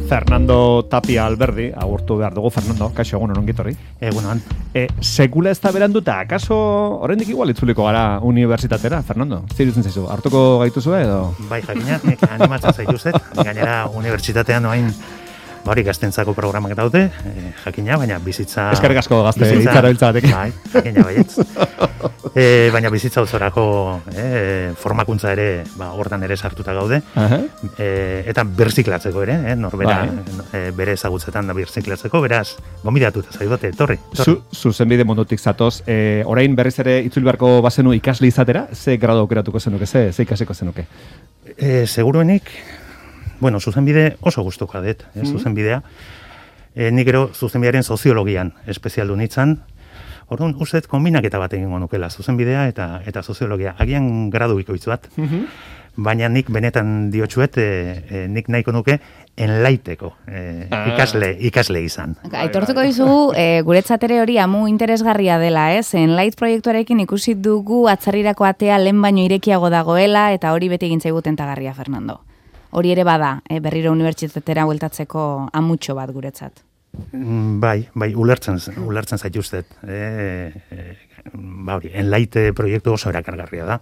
Fernando Tapia Alberdi, agurtu behar dugu. Fernando, kaixo, egun ongi etorri. Egunon. Sekula ez da beranduta, akaso oraindik igual itzuliko gara unibertsitatera, Fernando? Zirutzen zaizu, hartuko gaituzue edo? Bai, jakina, nik animatzen zaituzet, gainera unibertsitatean noain hori gaztentzako programak daude, jakina, baina bizitza... Eskerrik asko gazte hitzara biltzatik. Bai, jakina baietz. Baina bizitza osorako formakuntza ere, hortan ere sartuta gaude, eta birziklatzeko ere, norbera, bere ezagutzetan da birziklatzeko, beraz, gonbidatuta zaidote, torri. Zuzenbide mundutik zatoz, orain berriz ere itzuli beharko bazenu ikasle izatera, ze grado aukeratuko zenuke, ze ikasiko zenuke? Seguruenik, bueno, zuzenbide oso gustuko dut, zuzenbidea. Nik gero zuzenbidearen soziologian espezialdu nintzen. Orduan, uste kombinaketa bat egingo nukela, zuzenbidea eta soziologia. Agian gradu ikoitz bat, baina nik benetan diotxuet, nik nahiko nuke enlaiteko ikasle izan. Aitortuko dizugu, guretzat ere hori amu interesgarria dela, ez? Enlait proiektuarekin ikusi dugu atzarrirako atea lehen baino irekiago dagoela, eta hori beti gintzaigu tentagarria, Fernando. Hori ere bada, berriro unibertsitatera bueltatzeko amutxo bat guretzat. Bai, ulertzen zaituztet. Enlaite proiektu oso erakargarria da.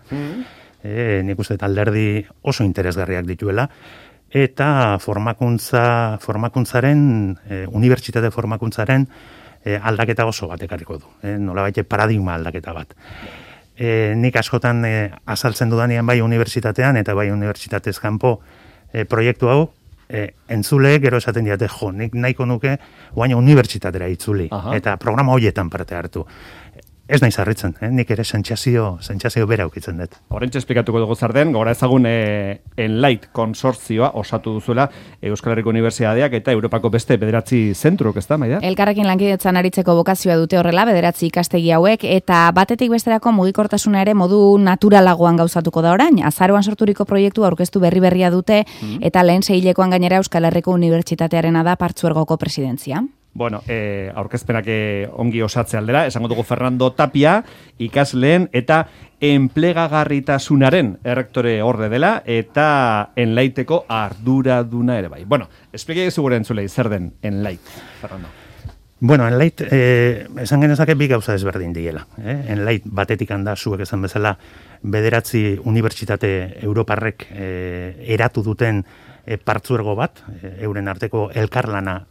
Nik uste alderdi oso interesgarriak dituela, eta formakuntzaren, unibertsitate formakuntzaren aldaketa oso bat ekarriko du. Nolabait paradigma aldaketa bat. Nik askotan azaltzen dudanean bai unibertsitatean eta bai unibertsitatez kanpo proiektu hau, entzuleek gero esaten diate, nik nahiko nuke guaina unibertsitatera itzuli, eta programa horietan parte hartu. Ez nahi zarritzen, nik ere sentsazio bera aukitzen dut. Horrentxe esplikatuko dugu zarden, gora ezagun Enlait konsortzioa osatu duzuela Euskal Herriko Unibertsitateak eta Europako beste 9 zentruk, ez da, Maida? Elkarrekin lankidetzan aritzeko bokazioa dute horrela, 9 ikastegi hauek, eta batetik besterako mugikortasuna ere modu naturalagoan gauzatuko da orain. Azaroan sorturiko proiektu aurkeztu berria dute, eta lehen seihilekoan gainera Euskal Herriko Unibertsitatearena da Partzuergoko presidentzia. Bueno, aurkezpenak ongi osatze aldera, esango dugu Fernando Tapia, ikasleen eta enplegagarritasunaren errektore orde dela, eta Enlaiteko arduraduna ere bai. Bueno, esplike gure entzulei, zer den Enlait, Fernando? Bueno, Enlait, esan genezake bi gauza ezberdin diela. Enlait batetik handa zuek esan bezala 9 unibertsitate europarrek eratu duten partzuergo bat, euren arteko elkarlana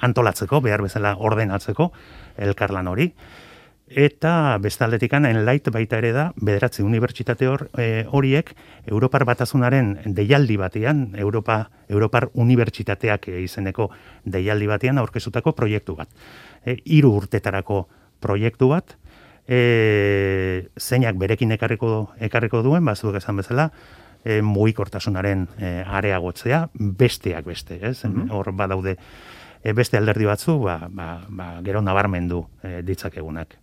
antolatzeko, behar bezala ordenatzeko elkarlan hori. Eta bestaldetikan Enlait baita ere da, 9 unibertsitate horiek Europar Batasunaren deialdi batean, Europar Unibertsitateak izeneko deialdi batean aurkezutako proiektu bat. 3 urtetarako proiektu bat, zeinak berekin ekarriko duen, bazuek esan bezala, mugikortasunaren areagotzea, besteak beste, ez? Hor badaude beste alderdi batzu, gero nabarmendu ditzakegunak.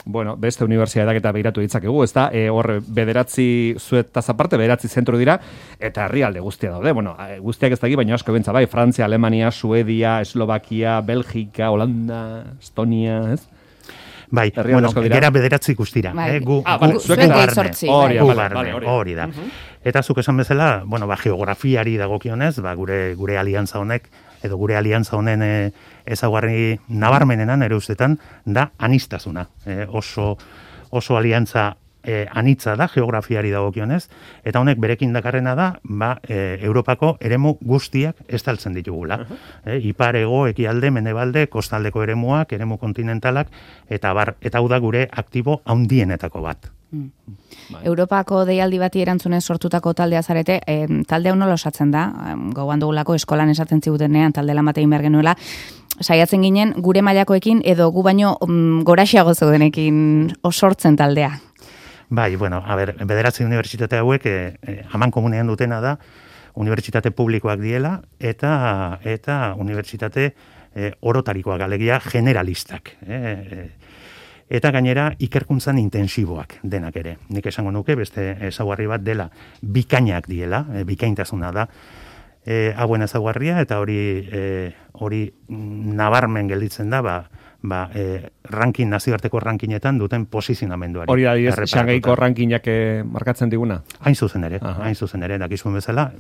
Bueno, beste unibertsitateak eta begiratu ditzakegu, ez da, hor 9 zuetaz aparte, 9 zentro dira, eta herrialde guztia daude. Bueno, guztiak ez daki, baina asko bentsa, bai, Frantzia, Alemania, Suedia, Eslovakia, Belgika, Holanda, Estonia, ez? Bai, bueno, gera 9 guztira. Hori da. Eta zuk esan bezala, bueno, geografiari dagokionez, gure aliantza honek, edo gure aliantza honen ezaugarri nabarmenenan ere ustetan, da aniztasuna. Oso aliantza anitza da geografiari dagokionez, eta honek berekin dakarrena da, Europako eremu guztiak estaltzen ditugula. Ipar, hego, ekialde, mendebalde, kostaldeko eremuak, eremu kontinentalak, eta hau da gure aktibo handienetako bat. Europako deialdi bati erantzunez sortutako taldea zarete, talde hau nola osatzen da, gogoan dugulako eskolan esaten zigutenean talde lan bat egin behar genuela, saiatzen ginen gure mailakoekin edo gu baino goraxeago zeudenekin osortzen taldea. Bai, bueno, 9 unibertsitate hauek aman komunean dutena da, unibertsitate publikoak diela eta unibertsitate orotarikoak, alegia generalistak. Eta gainera ikerkuntzan intensiboak denak ere. Nik esango nuke, beste ezaugarri bat dela, bikainak diela, bikaintasuna da, hauen ezaugarria, eta hori nabarmen gelditzen da, nazioarteko rankinetan duten posizionamenduari. Hori da, Xangaiko rankinak markatzen diguna? Hain zuzen ere, dakizuen bezala,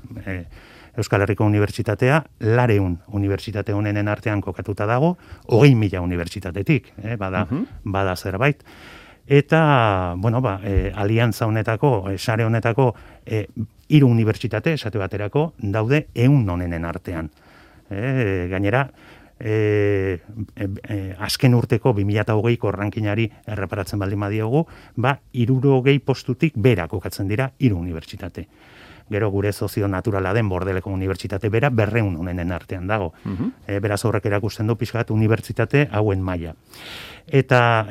Euskal Herriko Unibertsitatea 200 unibertsitate honenen artean kokatuta dago, 20.000 unibertsitatetik, bada zerbait. Eta, aliantza honetako, sare honetako, 3 unibertsitate, esate baterako, daude 100 honenen artean. Gainera, azken urteko 2020ko rankinari erreparatzen baldin badiogu, 60 postutik bera kokatzen dira 3 unibertsitate. Gero gure sozio naturala den Bordeleko Unibertsitate bera 200 honenen artean dago. Beraz horrek erakusten du pixkat unibertsitate hauen maila. Eta,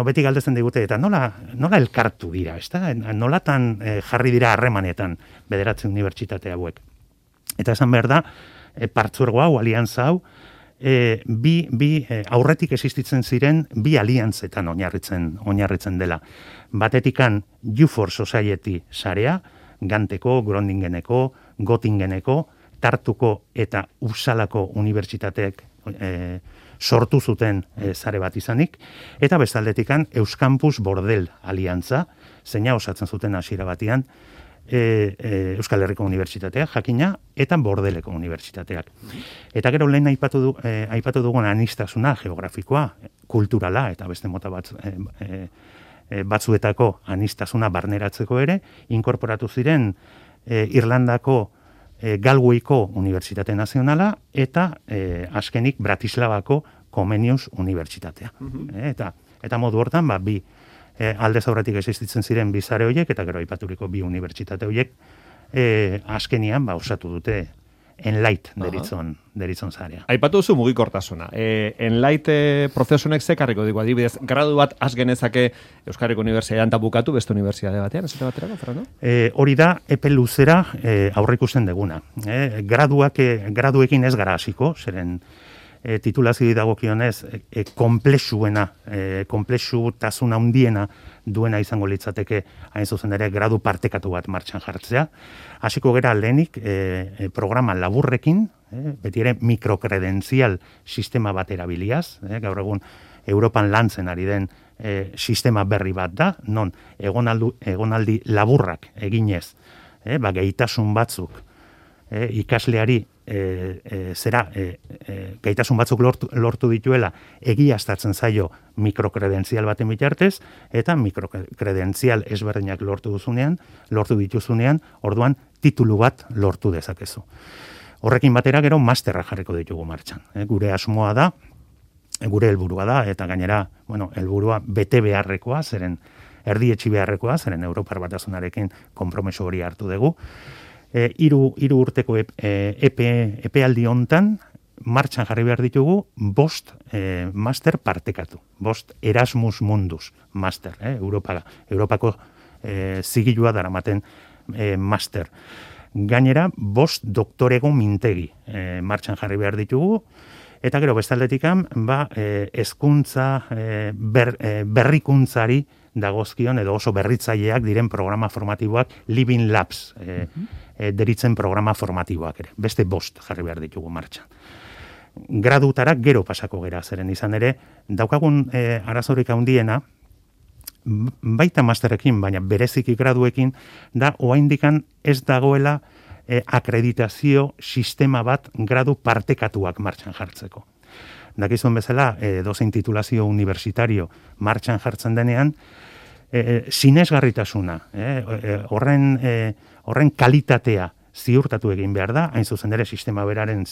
beti galdetzen digute, eta nola elkartu dira, ezta? Nolatan jarri dira harremanetan 9 unibertsitate hauek. Eta esan behar da, partzuergo hau, aliantza hau, bi aurretik existitzen ziren 2 aliantzetan oinarritzen dela. Batetikan U4 Society sarea, Ganteko, Grondingeneko, Gotingeneko, Tartuko eta Uppsalako unibertsitateek sortu zuten sare bat izanik, eta bestaldetikan Euskampus Bordel aliantza, zeina osatzen zuten hasiera batean, Euskal Herriko Unibertsitatea, jakina, eta Bordeleko Unibertsitateak. Eta gero lehen aipatu dugun anistasuna geografikoa, kulturala, eta beste mota batzuetako anistasuna barneratzeko ere, inkorporatu ziren Irlandako Galwayko Unibertsitate Nazionala eta azkenik Bratislavako Comenius Unibertsitatea. Eta modu hortan, bi aldez aurretik existitzen ziren 2 sare horiek, eta gero aipaturiko 2 unibertsitate horiek azkenian osatu dute Enlight deritzon zarea. Aipatu duzu mugikortasuna. Enlight prozesunek zekarriko digu, adibidez, gradu bat az genezake Euskal Herriko Unibertsitatean eta bukatu beste unibertsitate batean, esate baterako, Fernando? Hori da, epe luzera aurreikusten deguna. Graduekin ez gara hasiko, zeren titulazio dagokionez konplexutasun handiena duena izango litzateke hain zuzen ere gradu partekatu bat martxan jartzea. Hasiko gera lehenik programa laburrekin, beti ere mikrokredentzial sistema bat erabiliaz, gaur egun Europan lantzen ari den sistema berri bat da, non egonaldi laburrak eginez, gaitasun batzuk ikasleari gaitasun batzuk lortu dituela egiaztatzen zaio mikrokredentzial baten bitartez, eta mikrokredentzial ezberdinak lortu dituzunean, orduan titulu bat lortu dezakezu. Horrekin batera gero masterra jarriko ditugu martxan. Gure asmoa da, gure helburua da, eta gainera, helburua bete beharrekoa, zeren erdietxi beharrekoa, zeren Europar Batasunarekin konpromeso hori hartu dugu. 3 urteko epealdi hontan martxan jarri behar ditugu 5 master partekatu. 5 Erasmus Mundus master, Europako zigilua daramaten master. Gainera, 5 doktorego mintegi martxan jarri behar ditugu, eta gero bestaldetikan, hezkuntza berrikuntzari dagozkion edo oso berritzaileak diren programa formatiboak Living Labs deritzen programa formatiboak ere. Beste 5 jarri behar ditugu martxan. Gradutara gero pasako gera, zeren izan ere, daukagun arazorik handiena, baita masterekin, baina bereziki graduekin, da oraindikan ez dagoela akreditazio sistema bat gradu partekatuak martxan jartzeko. Dakizuen bezala, dozein titulazio universitario martxan jartzen denean, sinesgarritasuna, horren kalitatea ziurtatu egin behar da, hain zuzen ere sistema beraren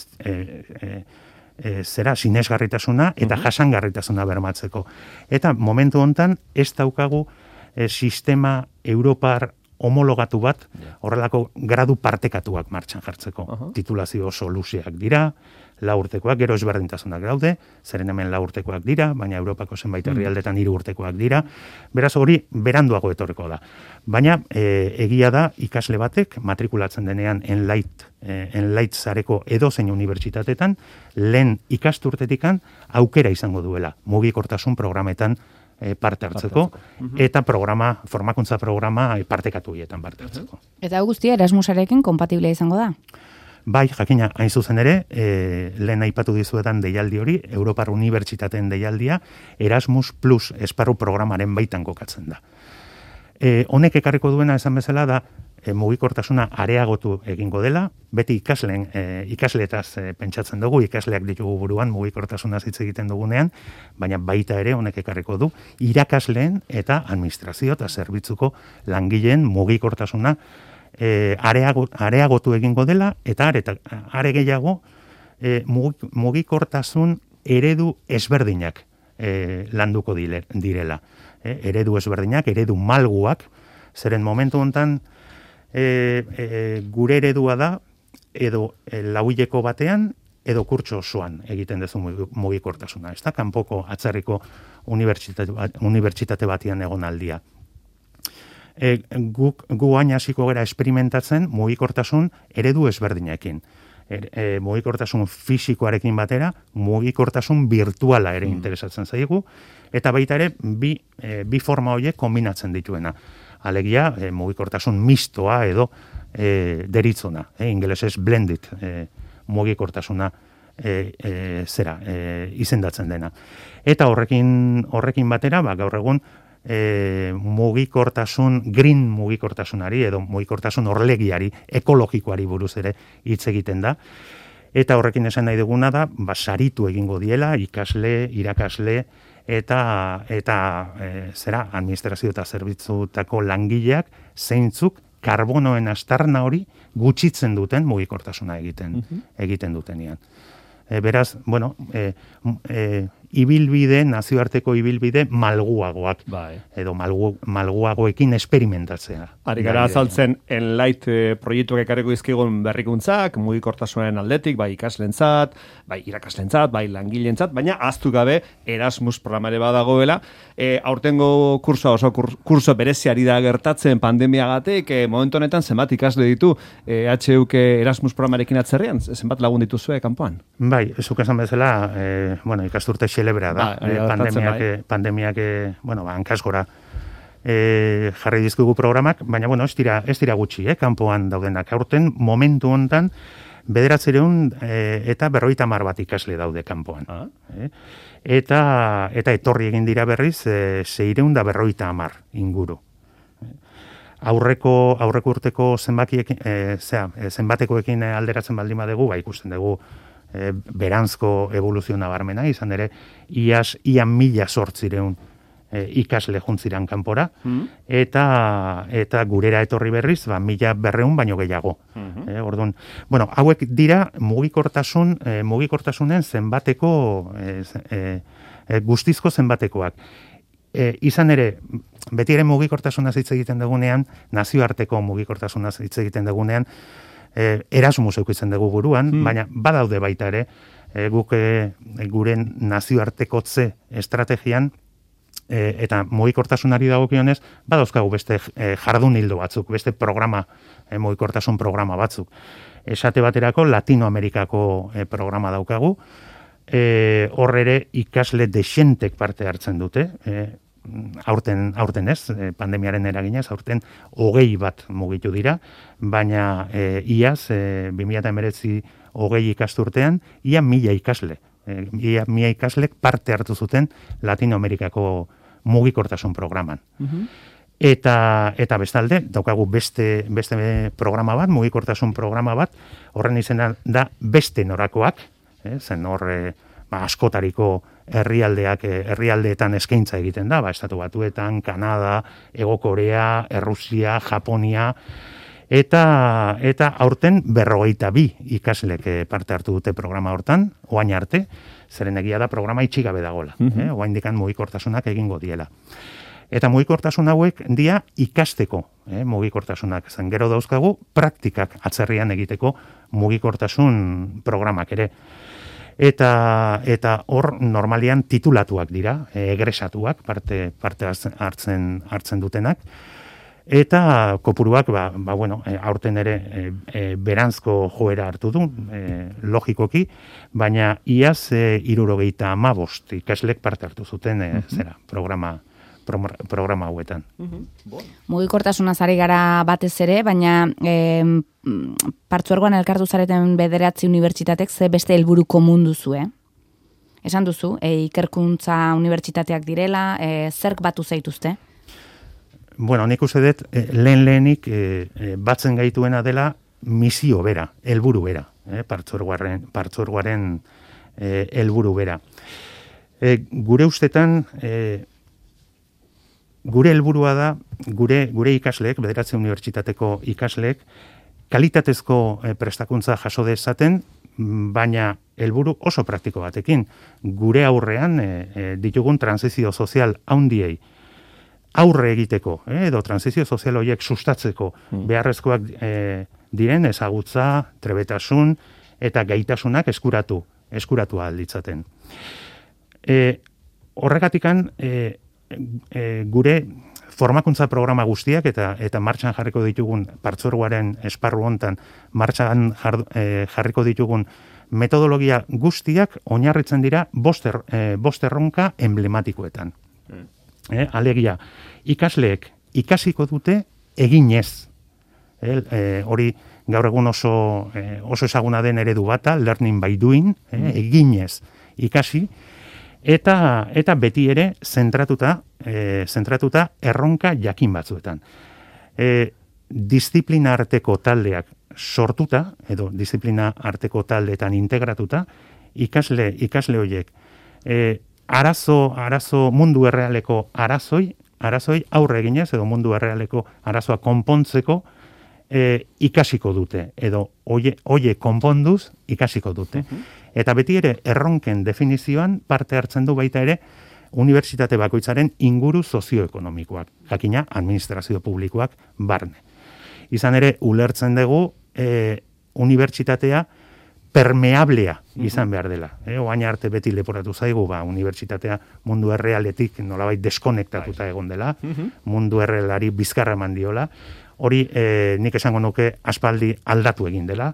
sinesgarritasuna eta jasangarritasuna bermatzeko. Eta momentu hontan ez daukagu sistema Europar homologatu bat horrelako gradu partekatuak martxan jartzeko. Titulazio oso luzeak dira, 4 urtekoak, gero ezberdintasunak daude, zeren hemen 4 urtekoak dira, baina Europako zenbait herrialdetan 3 urtekoak dira, beraz hori beranduago etorriko da. Baina egia da ikasle batek matrikulatzen denean Enlight sareko edozein unibertsitatetan, lehen ikasturtetikan aukera izango duela mugikortasun programetan parte hartzeko, eta formakuntza programa partekatu hietan parte hartzeko. Eta guztia Erasmusarekin kompatiblea izango da? Bai, jakina, hain zuzen ere, lehen aipatu dizuetan deialdi hori, Europar Unibertsitateen deialdia, Erasmus Plus esparru programaren baitan kokatzen da. Honek ekarriko duena esan bezala da, mugikortasuna areagotu egingo dela, beti ikasleetaz pentsatzen dugu, ikasleak ditugu buruan mugikortasunaz hitz egiten dugunean, baina baita ere honek ekarriko du irakasleen eta administrazio eta zerbitzuko langileen mugikortasuna areagotu egingo dela, eta are gehiago mugikortasun eredu ezberdinak landuko direla. Eredu ezberdinak, eredu malguak, zeren momentu honetan gure eredua da, edo lauileko batean, edo kurtso osoan egiten duzu mugikortasuna. Ez da, kanpoko atzerriko unibertsitate batian egon aldia. Gu hain hasiko gara esperimentatzen mugikortasun eredu ezberdinekin. Mugikortasun fisikoarekin batera, mugikortasun virtuala ere interesatzen zaigu, eta baita ere bi forma horiek kombinatzen dituena. Alegia, mugikortasun mistoa edo deritzona, ingelesez blended mugikortasuna izendatzen dena. Eta horrekin batera, gaur egun, green mugikortasunari edo mugikortasun orlegiari, ekologikoari buruz ere hitz egiten da. Eta horrekin esan nahi duguna da, saritu egingo diela, ikasle, irakasle, eta administrazio eta zerbitzutako langileak zeintzuk karbonoen astarna hori gutxitzen duten mugikortasuna egiten dutenean. Beraz, nazioarteko ibilbide malguagoak, edo malguagoekin esperimentatzea. Ari gara azaltzen Enlight proiektuak ekarriko izkigun berrikuntzak, mugikortasunaren aldetik, bai ikaslentzat, bai irakaslentzat, bai langileentzat, baina ahaztu gabe Erasmus programare badagoela. Aurtengo kursoa kurso bereziari da gertatzen pandemiagatik, momentu honetan zenbat ikasle ditu HUK Erasmus programarekin atzerrian, zenbat lagun dituzue kanpoan? Bai, zuk esan bezala, ikasturte xelebra da, pandemiak, hankasgora jarri dizkugu programak, baina, ez dira gutxi, kanpoan daudenak. Aurten, momentu hontan, 900 eta 50 bat ikasle daude kanpoan. Eta etorri egin dira berriz, 650 inguru. Aurreko urteko zenbatekoekin alderatzen baldin badugu, ikusten dugu beranzko evoluzio nabarmena, izan ere, ia 1.800 ikasle juntziran kanpora, eta gurera etorri berriz, 1.200 baino gehiago. Orduan, hauek dira mugikorsasunen zenbateko, guztizko zenbatekoak. Izan ere, beti ere mugikortasunaz hitz egiten dugunean, nazioarteko mugikortasunaz hitz egiten dugunean, Erasmus eukitzen dugu buruan, baina badaude baita ere, guk gure nazioartekotze estrategian, eta mugikortasunari dagokionez, badauzkagu beste jardun hildo batzuk, beste programa, mugikortasun programa batzuk. Esate baterako, Latinoamerikako programa daukagu, hor ere ikasle dexentek parte hartzen dute, aurten ez, pandemiaren eraginez, aurten 20 bat mugitu dira, baina iaz, 2019 20 ikasturtean, ia 1000 ikasle. Ia 1000 ikaslek parte hartu zuten Latinoamerikako mugikortasun programan. Eta bestalde, daukagu beste programa bat, mugikortasun programa bat, horren izena da beste norakoak, zen hor askotariko herrialdeetan eskaintza egiten da, Estatu Batuetan, Kanada, Hego Korea, Errusia, Japonia, eta aurten 52 ikaslek parte hartu dute programa hortan, oain arte, zeren egia da programa itxigabe dagoela, oain dikan mugikortasunak egingo diela. Eta mugikortasun hauek dia ikasteko mugikortasunak, zen gero dauzkagu praktikak atzerrian egiteko mugikortasun programak ere. Eta hor normalian titulatuak dira, egresatuak, parte hartzen dutenak, eta kopuruak, aurten ere beranzko joera hartu du, logikoki, baina iaz 75 ikaslek parte hartu zuten programa hauetan. Mugikortasunaz ari gara batez ere, baina partzuergoan elkartu zareten 9 unibertsitatek ze beste helburu komun duzu, Esan duzu, ikerkuntza unibertsitateak direla, zerk batu zaituzte? bueno, nik uste dut, lehenik batzen gaituena dela misio bera, helburu bera, partzuergoaren helburu bera. Gure ustetan, gure helburua da, gure ikasleek, Bederatzi Unibertsitateko ikasleek, kalitatezko prestakuntza jaso dezaten, baina helburu oso praktiko batekin. Gure aurrean ditugun transizio sozial handiei aurre egiteko, edo transizio sozial horiek sustatzeko beharrezkoak diren ezagutza, trebetasun eta gaitasunak eskuratu alditzaten. Horregatikan gure formakuntza programa guztiak eta martxan jarriko ditugun partzuergoaren esparru hontan martxan jarriko ditugun metodologia guztiak oinarritzen dira bost erronka emblematikoetan. Alegia, ikasleek ikasiko dute eginez. Hori gaur egun oso ezaguna den eredu bata, learning by doing, eginez ikasi, eta beti ere zentratuta erronka jakin batzuetan. Disiplina arteko taldeak sortuta, edo disiplina arteko taldeetan integratuta, ikasle horiek arazo mundu errealeko arazoi aurre eginez, edo mundu errealeko arazoa konpontzeko ikasiko dute, edo oie konponduz ikasiko dute. Eta beti ere erronken definizioan parte hartzen du baita ere unibertsitate bakoitzaren inguru sozioekonomikoak, jakina administrazio publikoak barne. Izan ere, ulertzen dugu unibertsitatea permeablea izan behar dela. Oain arte beti leporatu zaigu, unibertsitatea mundu errealetik nolabait deskonektatuta egon dela, mundu errealari bizkarra eman diola, hori nik esango nuke aspaldi aldatu egin dela,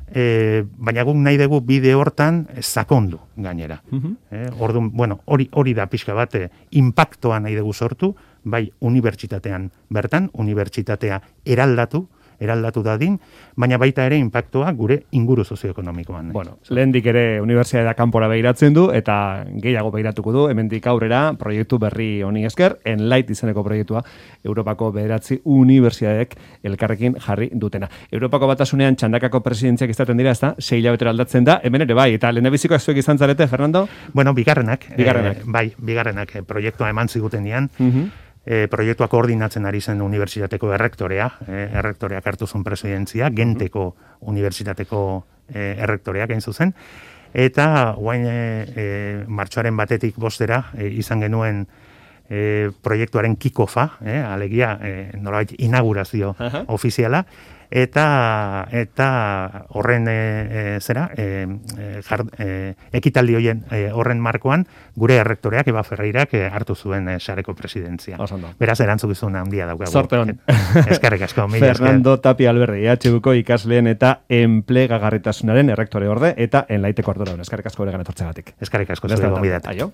baina guk nahi dugu bide hortan sakondu gainera. Orduan, bueno, hori da pixka bat inpaktoa nahi dugu sortu, bai unibertsitatean bertan, unibertsitatea eraldatu dadin, baina baita ere inpaktoa gure inguru sozioekonomikoan. Bueno, lehendik ere unibertsitatea kanpora behiratzen du, eta gehiago behiratuko du, hemendik aurrera proiektu berri honi esker, Enlight izeneko proiektua Europako Bederatzi Unibertsitateek elkarrekin jarri dutena. Europako Batasunean txandakako presidentziak izaten dira, ezta? 6 hilabetera aldatzen da, hemen ere bai, eta lehendabizikoak zuek izan zarete, Fernando? Bueno, bigarrenak, proiektua eman zigutenean, proiektua koordinatzen ari zen unibertsitateko errektoreak hartu zuen presidentzia, Genteko unibertsitateko errektoreak hain zuzen, eta guain martxoaren batetik bostera izan genuen proiektuaren kickofa, alegia nolabait inaugurazio ofiziala, eta horren ekitaldi horren markoan gure errektoreak Eba Ferreirak hartu zuen sareko presidentzia. Beraz erantzukizun handia daukagu. Sorte hon. Eskerrik asko. Fernando Tapia Alberdi, EHUko ikasleen eta enplegagarritasunaren errektore orde eta Enlighteko arduradun. Eskerrik asko beregan etortzeagatik. Eskerrik asko zure gonbidat. Aio.